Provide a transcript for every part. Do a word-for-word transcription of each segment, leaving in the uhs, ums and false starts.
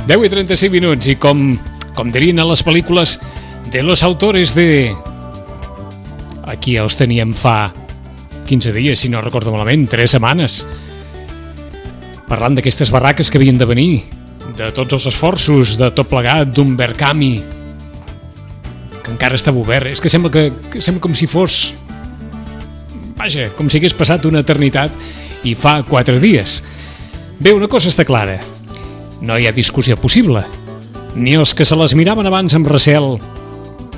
deu i trenta-cinc minuts i com, com dirien a les pel·lícules de los autores de... Aquí els teníem fa quinze dies, si no recordo malament, tres setmanes, parlant d'aquestes barraques que havien de venir, de tots els esforços, de tot plegat, d'un Verkami, que encara estava obert. És que sembla, que, que sembla com si fos... Vaja, com si hagués passat una eternitat i fa quatre dies. Bé, una cosa està clara. No hi ha discussió possible. Ni els que se les miraven abans amb recel,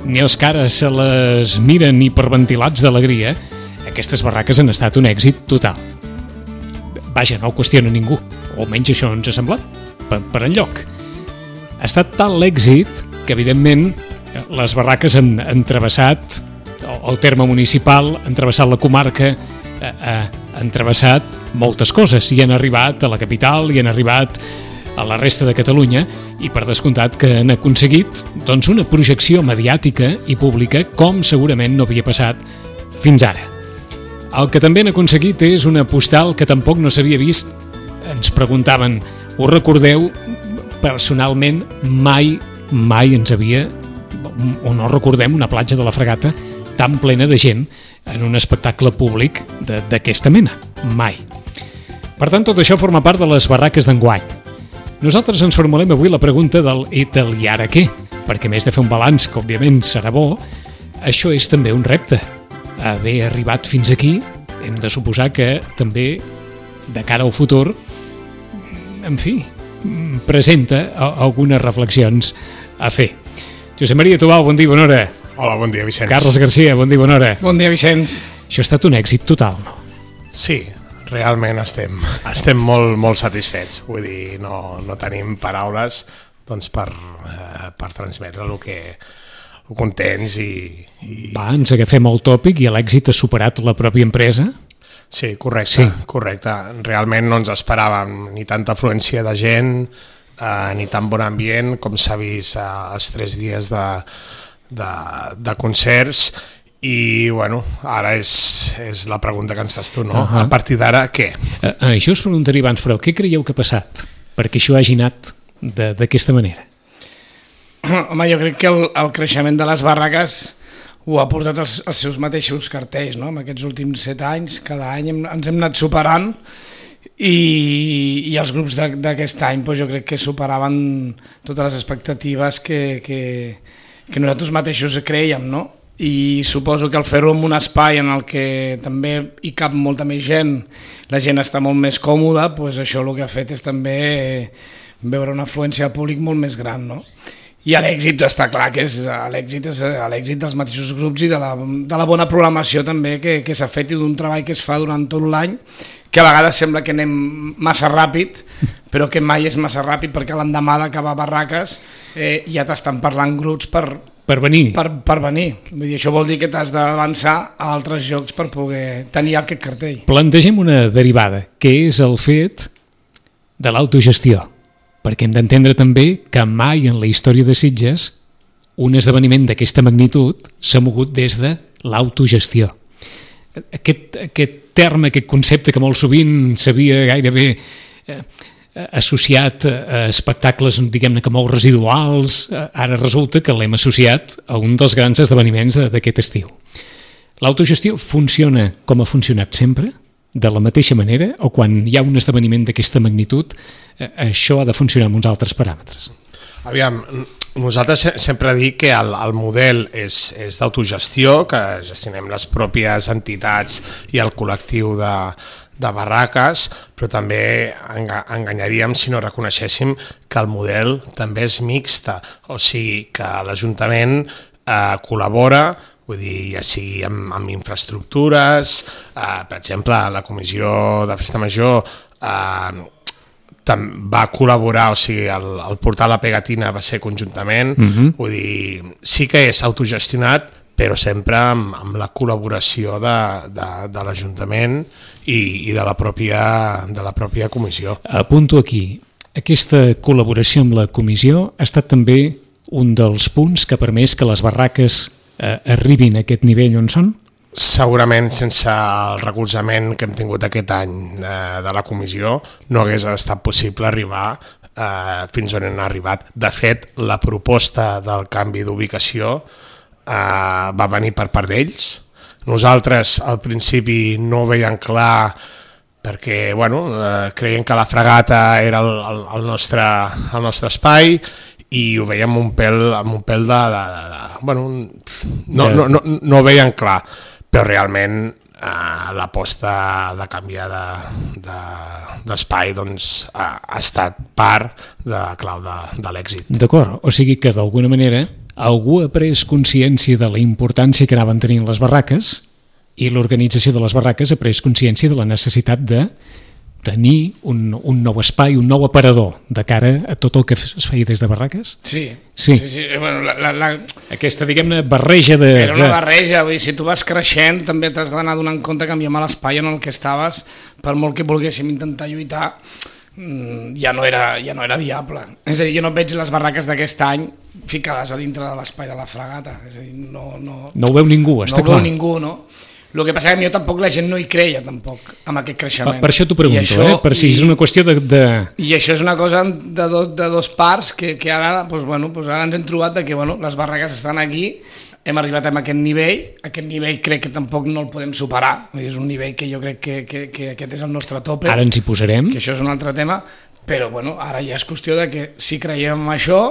ni els que ara se les miren hiperventilats d'alegria, aquestes barraques han estat un èxit total. Vaja, no ho qüestiona ningú, o almenys això ens ha semblat, per, per enlloc. Ha estat tal l'èxit que, evidentment, les barraques han, han travessat el terme municipal, han travessat la comarca, eh, eh, han travessat moltes coses i han arribat a la capital i han arribat a la resta de Catalunya i per descomptat que han aconseguit doncs, una projecció mediàtica i pública com segurament no havia passat fins ara. El que també han aconseguit és una postal que tampoc no s'havia vist. Ens preguntaven, us recordeu? Personalment mai, mai ens havia, o no recordem, una platja de la Fregata tan plena de gent en un espectacle públic d'aquesta mena. Mai. Per tant, tot això forma part de les barraques d'enguany. Nosaltres ens formulem avui la pregunta del i del i ara què? Perquè a més de fer un balanç, que òbviament serà bo, això és també un repte. Haver arribat fins aquí, hem de suposar que també, de cara al futur, en fi, presenta algunes reflexions a fer. Josep Maria Tubau, bon dia, bona hora. Hola, bon dia, Vicenç. Carles Garcia, bon dia, bona hora. Bon dia, Vicenç. Això ha estat un èxit total, no? Sí, realment estem, estem molt, molt satisfets. Vull dir, no, no tenim paraules doncs, per, eh, per transmetre el que el contents i, i... Va, ens agafem el tòpic i l'èxit ha superat la pròpia empresa? Sí, correcte, sí. correcte. Realment no ens esperàvem ni tanta afluència de gent, eh, ni tan bon ambient com s'ha vist eh, els tres dies de, de, de concerts. I, bueno, ara és, és la pregunta que ens fas tu, no? Uh-huh. A partir d'ara, què? Uh, uh, això us preguntaria abans, però què creieu que ha passat perquè això hagi anat d'aquesta manera? Home, jo crec que el, el creixement de les barraques ho ha portat els, els seus mateixos cartells, no? En aquests últims set anys, cada any hem, ens hem anat superant i, i els grups d'aquest any doncs, jo crec que superaven totes les expectatives que, que, que nosaltres mateixos creiem, no? I suposo que al fer-ho en un espai en el que també hi cap molta més gent, la gent està molt més còmoda, doncs això el que ha fet és també veure una afluència de públic molt més gran, no? I l'èxit està clar que és l'èxit és l'èxit dels mateixos grups i de la, de la bona programació també que, que s'ha fet i d'un treball que es fa durant tot l'any, que a vegades sembla que anem massa ràpid, però que mai és massa ràpid perquè l'endemà d'acabar barraques eh, ja t'estan parlant grups per, per venir. Per, per venir. Vull dir, això vol dir que t'has d'avançar a altres jocs per poder tenir aquest cartell. Plantegem una derivada, que és el fet de l'autogestió. Perquè hem d'entendre també que mai en la història de Sitges un esdeveniment d'aquesta magnitud s'ha mogut des de l'autogestió. Aquest, aquest terme, aquest concepte que molt sovint s'havia gairebé eh, associat a espectacles, diguem-ne que molt residuals, ara resulta que l'hem associat a un dels grans esdeveniments d'aquest estiu. L'autogestió funciona com ha funcionat sempre? De la mateixa manera, o quan hi ha un esdeveniment d'aquesta magnitud, eh, això ha de funcionar amb uns altres paràmetres? Aviam, nosaltres sempre dic que el, el model és, és d'autogestió, que gestionem les pròpies entitats i el col·lectiu de, de barraques, però també enganyaríem si no reconeixéssim que el model també és mixta, o sigui que l'Ajuntament eh, col·labora, vull dir, ja sigui amb, amb infraestructures, eh, per exemple, la Comissió de Festa Major eh, va col·laborar, o sigui, el, el portal La Pegatina va ser conjuntament, uh-huh. Vull dir, sí que és autogestionat, però sempre amb, amb la col·laboració de, de, de l'Ajuntament i, i de la pròpia, de la pròpia comissió. Apunto aquí, aquesta col·laboració amb la comissió ha estat també un dels punts que ha permès que les barraques eh, arribin a aquest nivell on són? Segurament sense el recolzament que hem tingut aquest any eh, de la comissió no hagués estat possible arribar eh, fins on han arribat. De fet, la proposta del canvi d'ubicació eh, va venir per part d'ells. Nosaltres al principi no ho veiem clar perquè bueno, eh, creien que la fragata era el, el, el, nostre, el nostre espai i ho veiem un pèl, amb un pèl de... de, de, de bueno, no, no, no, no ho veiem clar, però realment eh, l'aposta de canviar de, de, d'espai doncs, ha, ha estat part de clau de, de l'èxit. D'acord, o sigui que d'alguna manera algú ha pres consciència de la importància que anaven tenint les barraques i l'organització de les barraques ha pres consciència de la necessitat de tenir un, un nou espai, un nou aparador de cara a tot el que es feia des de barraques? Sí. Sí. sí, sí. Bueno, la, la, la... Aquesta, diguem-ne, barreja de... Era una barreja, vull dir, si tu vas creixent també t'has d'anar donant compte que amb l'espai en el que estaves, per molt que volguéssim intentar lluitar, ja no era, ja no era viable. És a dir, jo no veig les barraques d'aquest any ficades a dintre de l'espai de la fragata. És a dir, no, no, no ho veu ningú, està no clar. No ho veu ningú, no? El que passa és que jo tampoc la gent no hi creia tampoc amb aquest creixement. Per, per això t'ho pregunto, això, eh? Per si i, és una qüestió de, de... I això és una cosa de, do, de dos parts que, que ara, doncs, bueno, doncs ara ens hem trobat de que bueno, les barraques estan aquí, hem arribat a aquest nivell, aquest nivell crec que tampoc no el podem superar, és un nivell que jo crec que, que, que aquest és el nostre tope. Ara ens hi posarem. Que això és un altre tema, però bueno, ara ja és qüestió de que si creiem en això,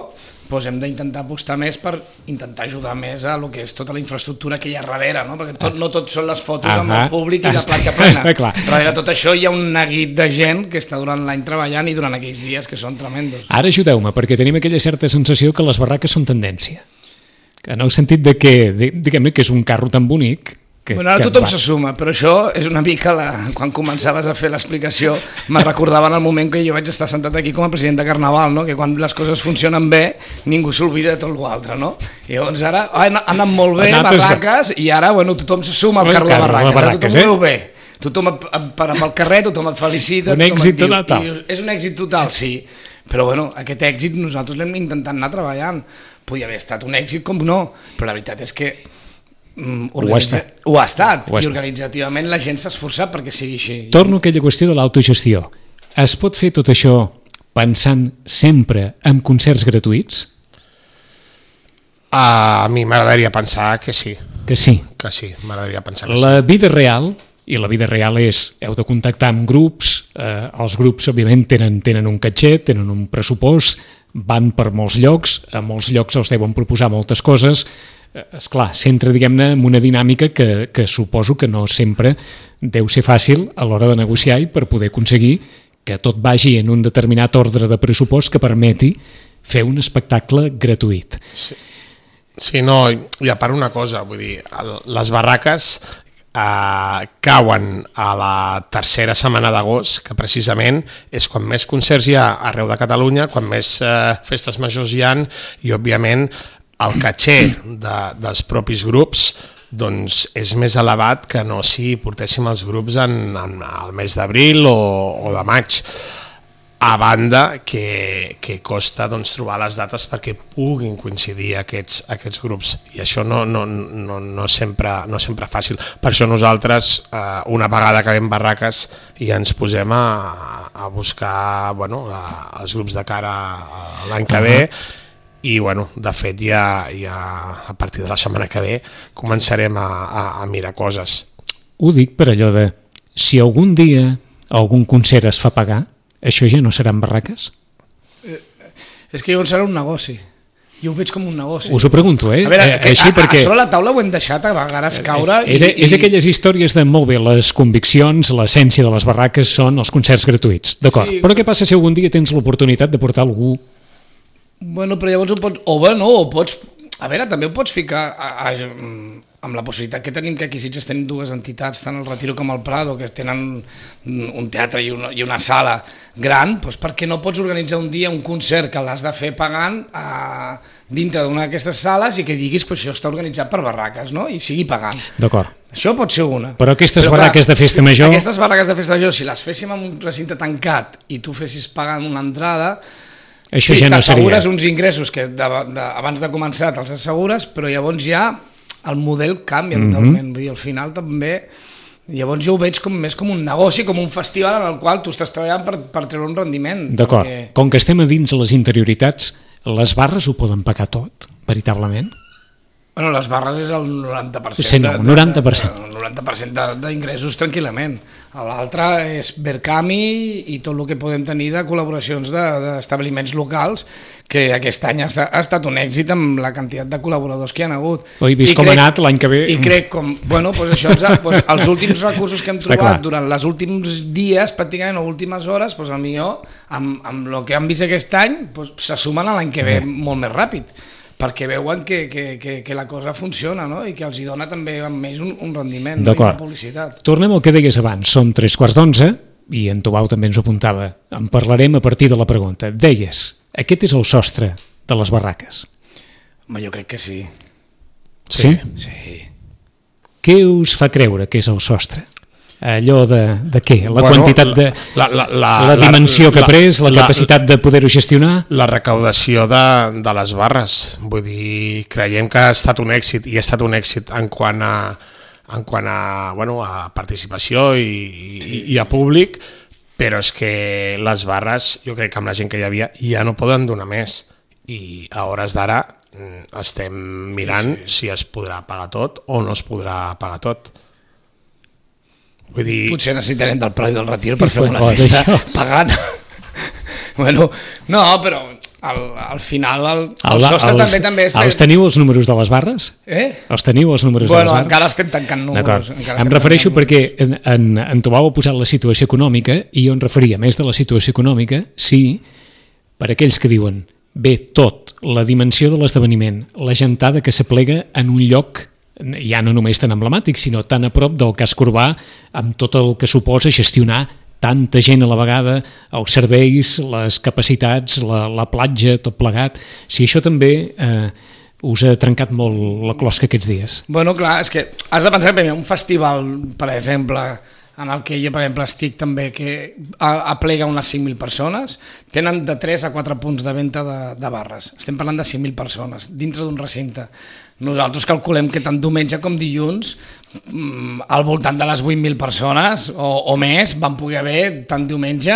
doncs hem d'intentar apostar més per intentar ajudar més a lo que és tota la infraestructura que hi ha darrere, no? Perquè tot, no tot són les fotos ah, amb el públic i la platja plena. Darrere tot això hi ha un neguit de gent que està durant l'any treballant i durant aquells dies que són tremendos. Ara ajudeu-me, perquè tenim aquella certa sensació que les barraques són tendència. En el sentit de que, diguem-ne, que és un carro tan bonic... Que, bueno, ara tothom se suma, però això és una mica la... quan començaves a fer l'explicació me recordava en el moment que jo vaig estar sentat aquí com a president de Carnaval, no? Que quan les coses funcionen bé ningú s'oblida de tot l'altre, no? I llavors ara han anat molt bé, barraques, i ara bueno, tothom se suma al carro de barraques, barraques, tothom ho veu bé. Tothom per amb el carrer, tothom et felicita. Un èxit total. És un èxit total, sí. Però bueno, aquest èxit nosaltres l'hem intentat anar treballant. Podia haver estat un èxit com no, però la veritat és que Mm, ho, ha estat. ho ha estat ho ha i organitzativament la gent s'ha esforçat perquè sigui així. Torno a aquella qüestió de l'autogestió. Es pot fer tot això pensant sempre en concerts gratuïts? A mi m'agradaria pensar que sí. Que sí? Que sí, m'agradaria pensar que la sí. vida real, i la vida real és, heu de contactar amb grups, eh, els grups òbviament tenen, tenen un catxet, tenen un pressupost, van per molts llocs, a molts llocs els deuen proposar moltes coses. Esclar, s'entra, diguem-ne, en una dinàmica que, que suposo que no sempre deu ser fàcil a l'hora de negociar i per poder aconseguir que tot vagi en un determinat ordre de pressupost que permeti fer un espectacle gratuït. Sí, sí no, i a part una cosa, vull dir, les barraques eh, cauen a la tercera setmana d'agost, que precisament és quan més concerts hi ha arreu de Catalunya, quan més eh, festes majors hi ha, i òbviament el caché de, dels propis grups doncs, és més elevat que no si portéssim els grups en, en el mes d'abril o, o de maig. A banda que, que costa doncs, trobar les dates perquè puguin coincidir aquests, aquests grups, i això no, no, no, no, sempre, no sempre fàcil. Per això nosaltres, eh, una vegada acabem barraques, ja ens posem a, a buscar bueno, a, els grups de cara a l'any que ve. I bueno, de fet ja, ja a partir de la setmana que ve començarem a, a, a mirar coses. Ho dic per allò de si algun dia algun concert es fa pagar, això ja no seran barraques? Eh, és que llavors serà un negoci. Jo ho veig com un negoci. Us ho pregunto, eh? A veure, eh, així a, perquè... a sobre la taula ho hem deixat a vegades caure. Eh, és, i, és aquelles històries de molt bé, les conviccions, l'essència de les barraques són els concerts gratuïts, d'acord. Sí, però què passa si algun dia tens l'oportunitat de portar algú? Bueno, però llavors ho pots... O bé, no, o pots... A veure, també ho pots ficar a, a, amb la possibilitat que tenim que aquí Sitges tenim dues entitats, tant el Retiro com el Prado, que tenen un teatre i una, i una sala gran, doncs per què no pots organitzar un dia un concert que l'has de fer pagant a, dintre d'una d'aquestes sales i que diguis que això està organitzat per barraques, no? I sigui pagant. D'acord. Això pot ser una. Però aquestes Però, barraques clar, de festa major... Aquestes barraques de festa major, si les féssim en un recinte tancat i tu fessis pagant una entrada... Això sí, ja no seria. T'assegures uns ingressos que de, de, abans de començar te'ls assegures, però llavors ja el model canvia mm -hmm. totalment. Vull dir, al final també Llavors jo ho veig com, més com un negoci, com un festival en el qual tu estàs treballant per, per treure un rendiment. D'acord. Perquè... Com que estem a dins les interioritats, les barres ho poden pagar tot, veritablement? Bueno, les barres és el noranta per cent. Sí, no, noranta per cent. De, de, el noranta per cent d'ingressos tranquil·lament. L'altre és Berkami i tot el que podem tenir de col·laboracions d'establiments de, locals, que aquest any ha, ha estat un èxit amb la quantitat de col·laboradors que hi ha hagut. Oi, vist I com crec, ha anat l'any que ve? I crec com... Bueno, doncs això, doncs, els últims recursos que hem trobat durant els últims dies, pràcticament, o últimes hores, doncs, millor, amb, amb el que hem vist aquest any, doncs, se sumen a l'any que ve molt més ràpid, perquè veuen que, que, que, que la cosa funciona, no? I que els hi dona també amb més un, un rendiment, no? I una publicitat. Tornem al que deies abans, són tres quarts d'onze, i en Tobau també ens ho apuntava, en parlarem a partir de la pregunta. Deies, aquest és el sostre de les barraques. Home, jo crec que sí. Sí? Sí. Què us fa creure que és el sostre? Allò de, de què? La bueno, quantitat de... La, la, la, la dimensió la, que ha pres, la, la capacitat de poder-ho gestionar? La recaudació de, de les barres. Vull dir, creiem que ha estat un èxit, i ha estat un èxit en quant a, en quant a, bueno, a participació i, i, i a públic, però és que les barres, jo crec que amb la gent que hi havia, ja no poden donar més. I a hores d'ara estem mirant sí, sí. si es podrà pagar tot o no es podrà pagar tot. Vull dir... Potser necessitarem del preu del retir per fer una festa oh, pagant. Bueno, no, però al, al final el, el sostre els, també també és... Els teniu els números de les barres? Eh? Els teniu els números bueno, de les barres? Bueno, encara estem tancant números. Encara em refereixo perquè en, en, en Tobau ha posat la situació econòmica i jo em referia més de la situació econòmica, sí, per aquells que diuen bé, tot, la dimensió de l'esdeveniment, la gentada que s'aplega en un lloc ja no només tan emblemàtic, sinó tan a prop del casc urbà, amb tot el que suposa gestionar tanta gent a la vegada, els serveis, les capacitats, la, la platja, tot plegat. Si això també eh, us ha trencat molt la closca aquests dies. Bueno, clar, és que has de pensar que un festival, per exemple, en el que jo, per exemple, estic també, que aplega unes cinc mil persones, tenen de tres a quatre punts de venda de, de barres. Estem parlant de cinc mil persones dintre d'un recinte. Nosaltres calculem que tant diumenge com dilluns al voltant de les vuit mil persones o, o més van poder haver tant diumenge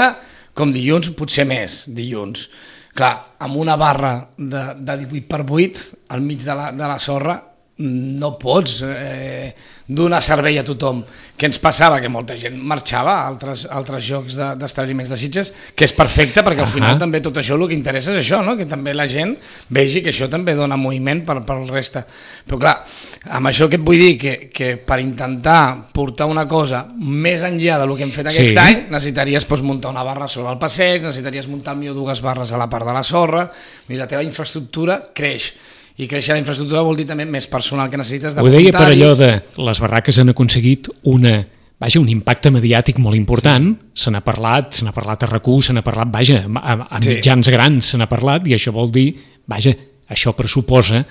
com dilluns, potser més dilluns. Clar, amb una barra de, de divuit per vuit al mig de la, de la sorra no pots eh, donar servei a tothom. Què ens passava? Que molta gent marxava a altres, altres jocs d'establiments de, de Sitges, que és perfecte perquè al final uh -huh. també tot això el que interessa és això, no? Que també la gent vegi que això també dona moviment per, per el reste. Però clar, amb això que et vull dir, que, que per intentar portar una cosa més enllà del que hem fet aquest sí. any, necessitaries pues, muntar una barra sobre el passeig, necessitaries muntar millor dues barres a la part de la sorra, i la teva infraestructura creix. I créixer la infraestructura vol dir també més personal que necessites de voluntaris. Ho deia per allò de les barraques han aconseguit una, vaja, un impacte mediàtic molt important, sí. se n'ha parlat, se n'ha parlat a R A C U, se n'ha parlat, vaja, a, a mitjans sí. grans se n'ha parlat, i això vol dir, vaja, això pressuposa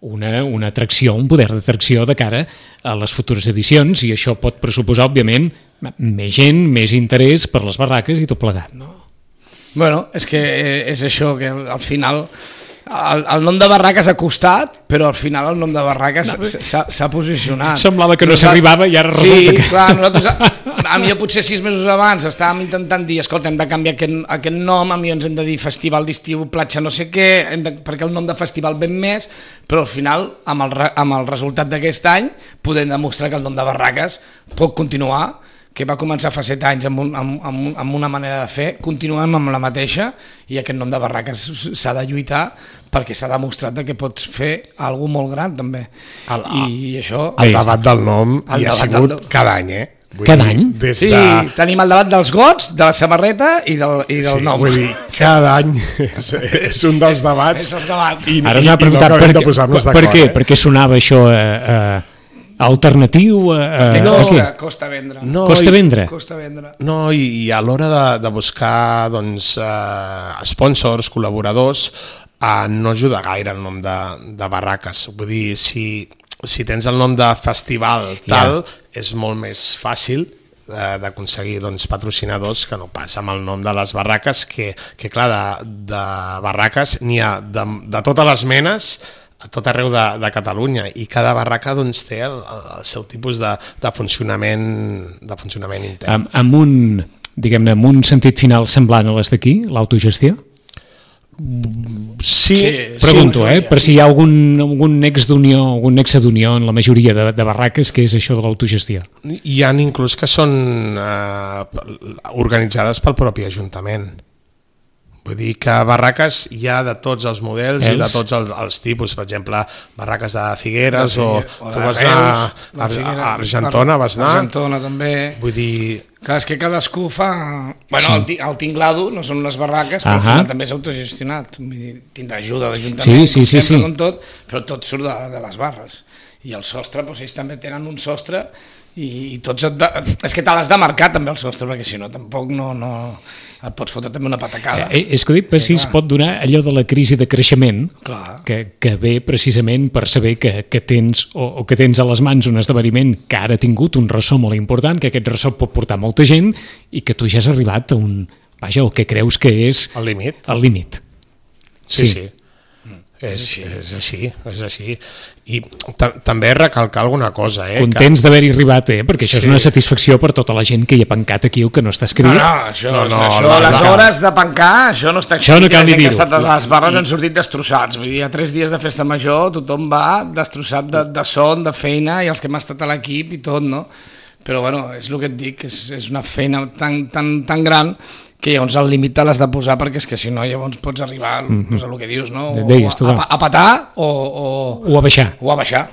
una, una atracció, un poder d'atracció de cara a les futures edicions, i això pot pressuposar, òbviament, més gent, més interès per les barraques i tot plegat, no? Bueno, és que és això, que al final... El, el nom de Barraques ha costat, però al final el nom de Barraques s'ha posicionat. Semblava que no s'arribava i ara resulta sí, que... Sí, clar, nosaltres, a, a mi potser sis mesos abans estàvem intentant dir, escolta, hem de canviar aquest, aquest nom, a mi ens hem de dir Festival d'Estiu, Platja no sé què, hem de, perquè el nom de festival ven més, però al final, amb el, amb el resultat d'aquest any, podem demostrar que el nom de Barraques pot continuar, que va començar fa set anys amb, un, amb, amb, amb una manera de fer, continuem amb la mateixa, i aquest nom de Barraques s'ha de lluitar perquè s'ha demostrat que pots fer alguna molt gran també. El, I això... El debat del nom hi ha sigut del... cada any, eh? Vull cada dir, any? Des sí, de... tenim el debat dels gots, de la samarreta i del, i del sí, nom. Vull dir, cada any és, és un dels debats. És el debat. I, Ara us ha preguntat no per, per, per què? Eh? Per què sonava això... Eh, eh, alternatiu a, a, no, a costa vendre no, costa vendre, costa vendre. No, i, i a l'hora de, de buscar doncs, uh, sponsors, col·laboradors, uh, no ajuda gaire el nom de, de Barraques. Vull dir, si, si tens el nom de festival tal, yeah. és molt més fàcil uh, d'aconseguir doncs, patrocinadors que no passa amb el nom de les barraques, que, que clar, de, de barraques n'hi ha de, de totes les menes. a tot arreu de, de Catalunya, i cada barraca doncs, té el, el seu tipus de, de, funcionament, de funcionament intern. Amb, amb un, diguem-ne, amb un sentit final semblant a les d'aquí, l'autogestió? Sí, pregunto, sí, eh, per si hi ha algun, algun nex d'unió, algun nexe d'unió en la majoria de, de barraques que és això de l'autogestió. Hi ha inclús que són eh, organitzades pel propi Ajuntament. Vull dir que barraques hi ha de tots els models els? i de tots els, els tipus. Per exemple, barraques de Figueres de Figueres, o, o tu vas anar a, a Argentona, vas anar. Argentona també. Vull dir... Clar, és que cadascú fa... Bueno, sí. el, el Tinglado no són unes barraques, però uh -huh. també és autogestionat. Vull dir, tindrà ajuda d'Ajuntament, sí, sí, sí, sí. com tot, però tot surt de, de les barres. I el sostre, doncs ells també tenen un sostre i, i tots et... És que te l'has de marcar també el sostre, perquè si no tampoc no... no... et pots fotre també una patacada. Eh, és que ho dic, per si es pot donar allò de la crisi de creixement, que, que ve precisament per saber que, que tens o, o que tens a les mans un esdeveniment que ara ha tingut un ressò molt important, que aquest ressò pot portar molta gent i que tu ja has arribat a un... Vaja, el que creus que és... El límit. El límit. Sí, sí. sí. És, és així, és així. I també recalcar alguna cosa. Eh, Contents que... d'haver-hi arribat, eh? Perquè això sí. és una satisfacció per tota la gent que hi ha pencat aquí o que no està escrit. No, no, això, no, no, això no, les no. hores de pencar, això no està escrit. Això no cal ni dir-ho. Les barres han sortit destrossats. Vull dir, a tres dies de festa major tothom va destrossat de, de son, de feina, i els que hem estat a l'equip i tot, no? Però bueno, és el que et dic, és, és una feina tan, tan, tan gran que llavors el límit te l'has de posar, perquè és que si no llavors pots arribar mm-hmm. pues, a el que dius, no? O Deies, a, a, a petar o, o, o a baixar. O a baixar.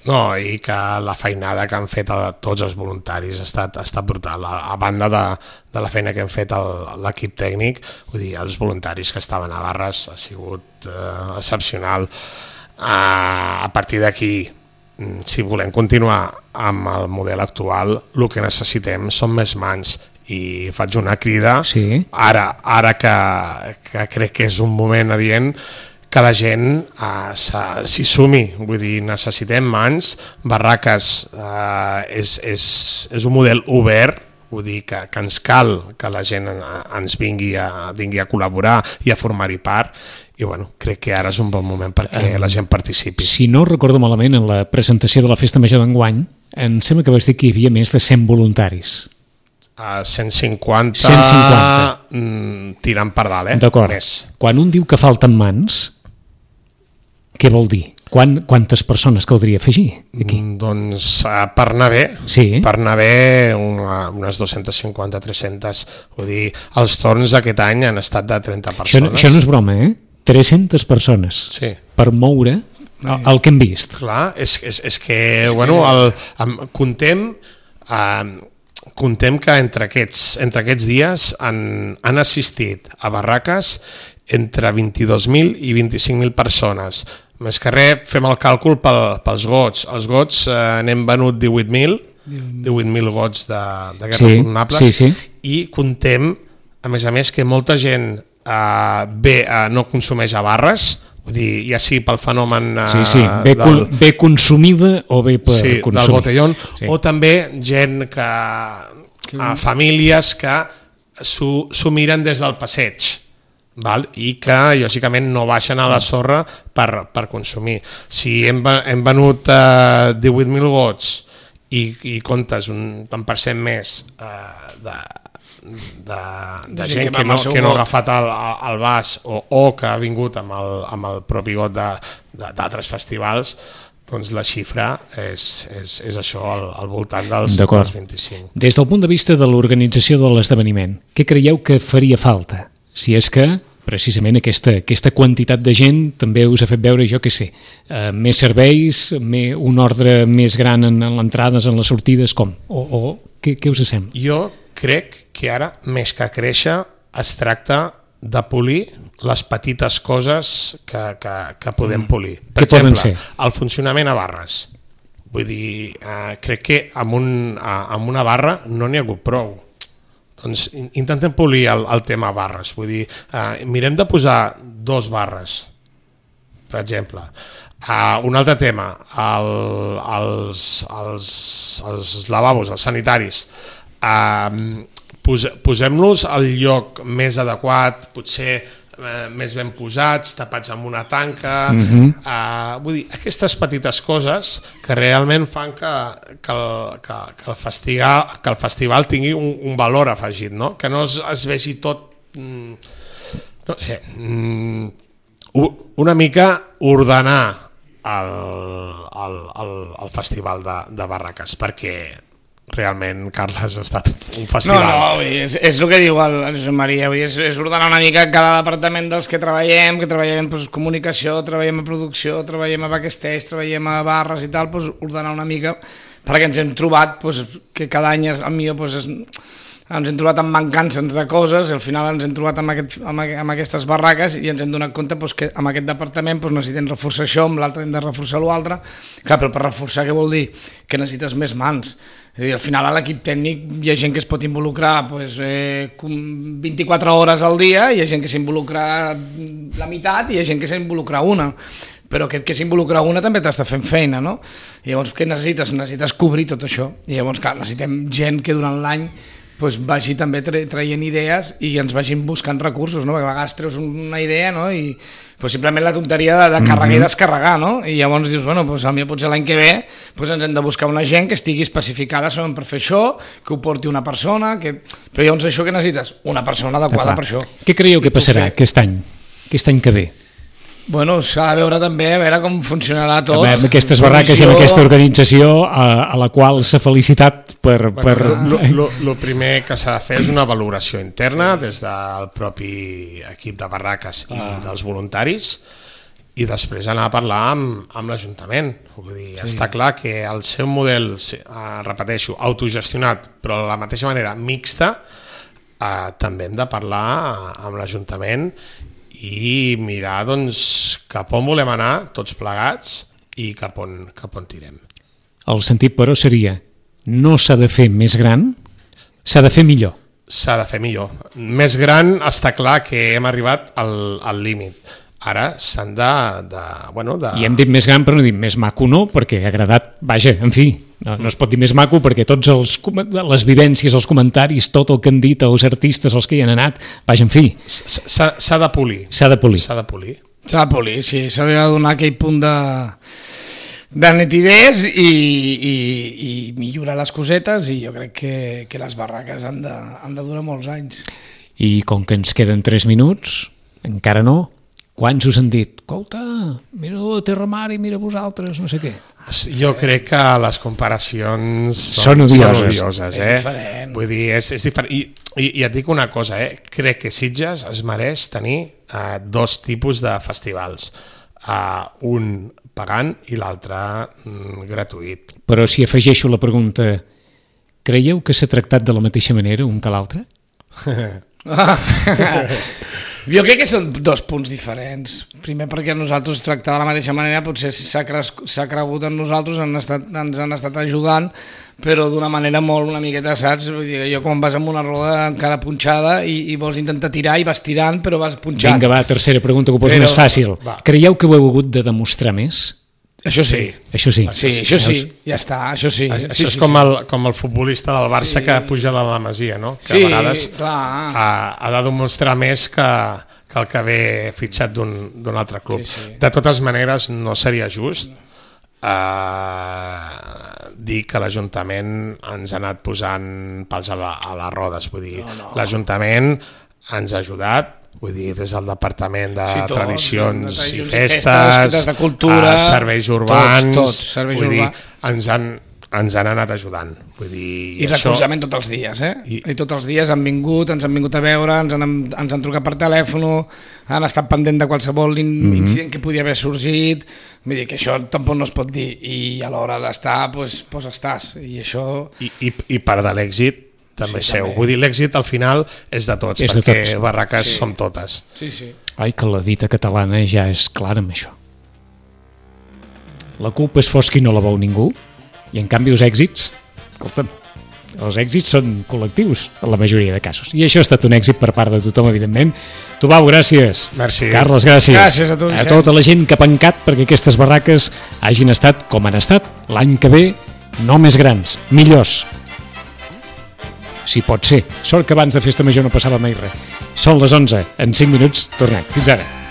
No, i que la feinada que han fet a tots els voluntaris ha estat, ha estat brutal. A, a banda de, de la feina que hem fet l'equip tècnic, vull dir, els voluntaris que estaven a barres ha sigut eh, excepcional. A, a partir d'aquí, si volem continuar amb el model actual, el que necessitem són més mans. I faig una crida sí. ara, ara que, que crec que és un moment adient que la gent eh, s'hi sumi, vull dir, necessitem mans, barraques eh, és, és, és un model obert, vull dir que, que ens cal que la gent ens vingui a, vingui a col·laborar i a formar-hi part, i bueno, crec que ara és un bon moment perquè la gent participi. Si no recordo malament, en la presentació de la Festa Major d'enguany em sembla que vas dir que hi havia més de cent voluntaris. Uh, cent cinquanta, cent cinquanta. Mm, tirant per dalt, eh? D'acord. Quan un diu que falten mans, què vol dir? Quan, quantes persones caldria afegir aquí? Mm, doncs uh, per anar bé, sí. per anar bé una, unes dos-cents cinquanta a tres-centes, vull dir, els torns aquest any han estat de trenta persones. Això, això no és broma, eh? tres-centes persones sí. per moure el, el que hem vist. Clar, és, és, és que, és bueno, el, el, contem... Uh, Contem que entre aquests, entre aquests dies han, han assistit a barraques entre vint-i-dos mil i vint-i-cinc mil persones. Més que res, fem el càlcul pel, pels gots. Els gots eh, n'hem venut divuit mil, divuit mil gots de, de guerres sí, tornables, sí, sí. i contem, a més a més, que molta gent eh, bé eh, no consumeix a barres, vull dir, ja sigui pel fenomen eh, sí, sí. Bé, del, bé consumida o bé per sí, consumir. Del botellón, sí. O també gent que, a famílies que s'ho miren des del passeig, val? I que lògicament no baixen a la sorra per, per consumir. Si hem, hem venut eh, divuit mil gots i, i comptes un tant per cent més eh, de de, de gent que, que, no, que no ha agafat el, el vas o, o que ha vingut amb el, amb el propi got d'altres festivals, doncs la xifra és, és, és això, al, al voltant dels, dels vint-i-cinc. Des del punt de vista de l'organització de l'esdeveniment, què creieu que faria falta? Si és que precisament aquesta, aquesta quantitat de gent també us ha fet veure, jo què sé, eh, més serveis, més, un ordre més gran en, en l'entrades, en les sortides, com? O, o què, què us sembla? Jo crec que ara, més que créixer, es tracta de polir les petites coses que, que, que podem polir. Per exemple, el funcionament a barres. Vull dir, eh, crec que amb, un, amb una barra no n'hi ha hagut prou. Doncs intentem polir el, el tema barres. Vull dir, eh, mirem de posar dos barres, per exemple. Uh, un altre tema, el, els, els, els lavabos, els sanitaris. Uh, pos, posem-los al lloc més adequat, potser eh, més ben posats, tapats amb una tanca, uh-huh. eh, vull dir, aquestes petites coses que realment fan que, que, el, que, que, el, festival, que el festival tingui un, un valor afegit, no? Que no es, es vegi tot, mm, no sé, mm, una mica ordenar el, el, el, el festival de, de barraques, perquè realment, Carles, ha estat un festival. No, no, vull dir, és, és el que diu el, el Josep Maria, vull dir, és, és ordenar una mica cada departament dels que treballem, que treballem en pues, comunicació, treballem a producció, treballem a backstage, treballem a barres i tal, pues, ordenar una mica, perquè ens hem trobat pues, que cada any, a mi, pues, és, ens hem trobat amb mancances de coses, i al final ens hem trobat amb, aquest, amb, amb aquestes barraques i ens hem donat compte pues, que amb aquest departament pues, necessitem reforçar això, amb l'altre hem de reforçar l'altre. Clar, però per reforçar què vol dir? Que necessites més mans. És a dir, al final a l'equip tècnic hi ha gent que es pot involucrar pues, eh, vint-i-quatre hores al dia, hi ha gent que s'involucra la meitat i hi ha gent que s'involucra una, però aquest que s'involucra una també t'està fent feina, no? I llavors què necessites? Necessites cobrir tot això, i llavors clar, necessitem gent que durant l'any pues, vagi també tra traient idees i ens vagin buscant recursos, no? Perquè a vegades treus una idea, no? I pues, simplement la tonteria de, de carregar mm-hmm. i descarregar, no? I llavors dius, bueno, pues, potser potser l'any que ve pues, ens hem de buscar una gent que estigui especificada solament per fer això, que ho porti una persona, que... però llavors això que necessites? Una persona adequada per això. Què creieu que passarà fer... aquest any? Aquest any que ve? Bueno, s'ha de veure també a veure com funcionarà tot. Amb aquestes barraques i amb aquesta organització a, a la qual s'ha felicitat per... Bueno, per... El primer que s'ha de fer és una valoració interna des del propi equip de barraques i ah. dels voluntaris, i després anar a parlar amb, amb l'Ajuntament. Vull dir, sí. Està clar que el seu model, eh, repeteixo, autogestionat, però de la mateixa manera mixta, eh, també hem de parlar amb l'Ajuntament i mirar doncs, cap on volem anar tots plegats i cap on, cap on tirem. El sentit, però, seria no s'ha de fer més gran, s'ha de fer millor. S'ha de fer millor. Més gran està clar que hem arribat al, al límit. Ara s'han de, de, bueno, de... I hem dit més gran, però no dit més maco no, perquè ha agradat, vaja, en fi, no, no es pot dir més maco perquè tots els, les vivències, els comentaris, tot el que han dit els artistes, els que hi han anat, vaja, en fi. S'ha de polir. S'ha de polir. S'ha de polir. S'ha de polir, sí, s'ha de donar aquell punt de, de nitidesa i, i, i millorar les cosetes, i jo crec que, que les barraques han de, han de durar molts anys. I com que ens queden tres minuts, encara no, quants us han dit, escolta, mira la Terra Mar i mira vosaltres, no sé què? Jo crec que les comparacions són, són odioses, són odioses eh? És diferent. Vull dir, és, és diferent. I, i, I et dic una cosa, eh? Crec que Sitges es mereix tenir eh, dos tipus de festivals, uh, un pagant i l'altre mm, gratuït. Però si afegeixo la pregunta, creieu que s'ha tractat de la mateixa manera un que l'altre? Jo crec que són dos punts diferents. Primer perquè nosaltres tractar de la mateixa manera potser s'ha cregut en nosaltres, han estat, ens han estat ajudant, però d'una manera molt una miqueta, saps? Vull dir, jo quan vas amb una roda encara punxada i, i vols intentar tirar i vas tirant però vas punxant. Vinga, va, tercera pregunta que ho poso però, més fàcil. Va. Creieu que ho heu hagut de demostrar més? Això sí. Això sí. Sí, això sí, ja està, això sí. Això sí, és sí, com, sí. El, com el futbolista del Barça sí. que puja de la Masia, no? Que sí, a vegades clar. Ha, ha de demostrar més que, que el que ve fitxat d'un altre club. Sí, sí. De totes maneres, no seria just eh, dir que l'Ajuntament ens ha anat posant pals a, la, a les rodes. Vull dir, no, no. L'Ajuntament ens ha ajudat, vull dir, des del Departament de sí, tots, Tradicions de i Festes, de cultura, a serveis urbans, tots, tots, serveis vull urbans. dir, ens han, ens han anat ajudant. Vull dir, I recolzament tots els dies, eh? I... I tots els dies han vingut, ens han vingut a veure, ens han, ens han trucat per telèfon, han estat pendent de qualsevol mm-hmm. incident que podia haver sorgit, vull dir que això tampoc no es pot dir, i a l'hora d'estar, doncs, doncs estàs, i això... I, i, i part de l'èxit també sí, seu. També. Vull dir, l'èxit al final és de tots, és perquè de tots. Barraques sí. som totes. Sí, sí. Ai, que la dita catalana ja és clara amb això. La culpa és fos qui no la veu ningú, i en canvi els èxits, escolta'm, els èxits són col·lectius en la majoria de casos. I això ha estat un èxit per part de tothom, evidentment. Tubau, gràcies. Merci. Carles, gràcies. Gràcies a tu, a tota la gent que ha pencat perquè aquestes barraques hagin estat com han estat l'any que ve, no més grans, millors. si pot ser. Sort que abans de festa major no passava mai res. Són les onze, en cinc minuts tornem. Fins ara.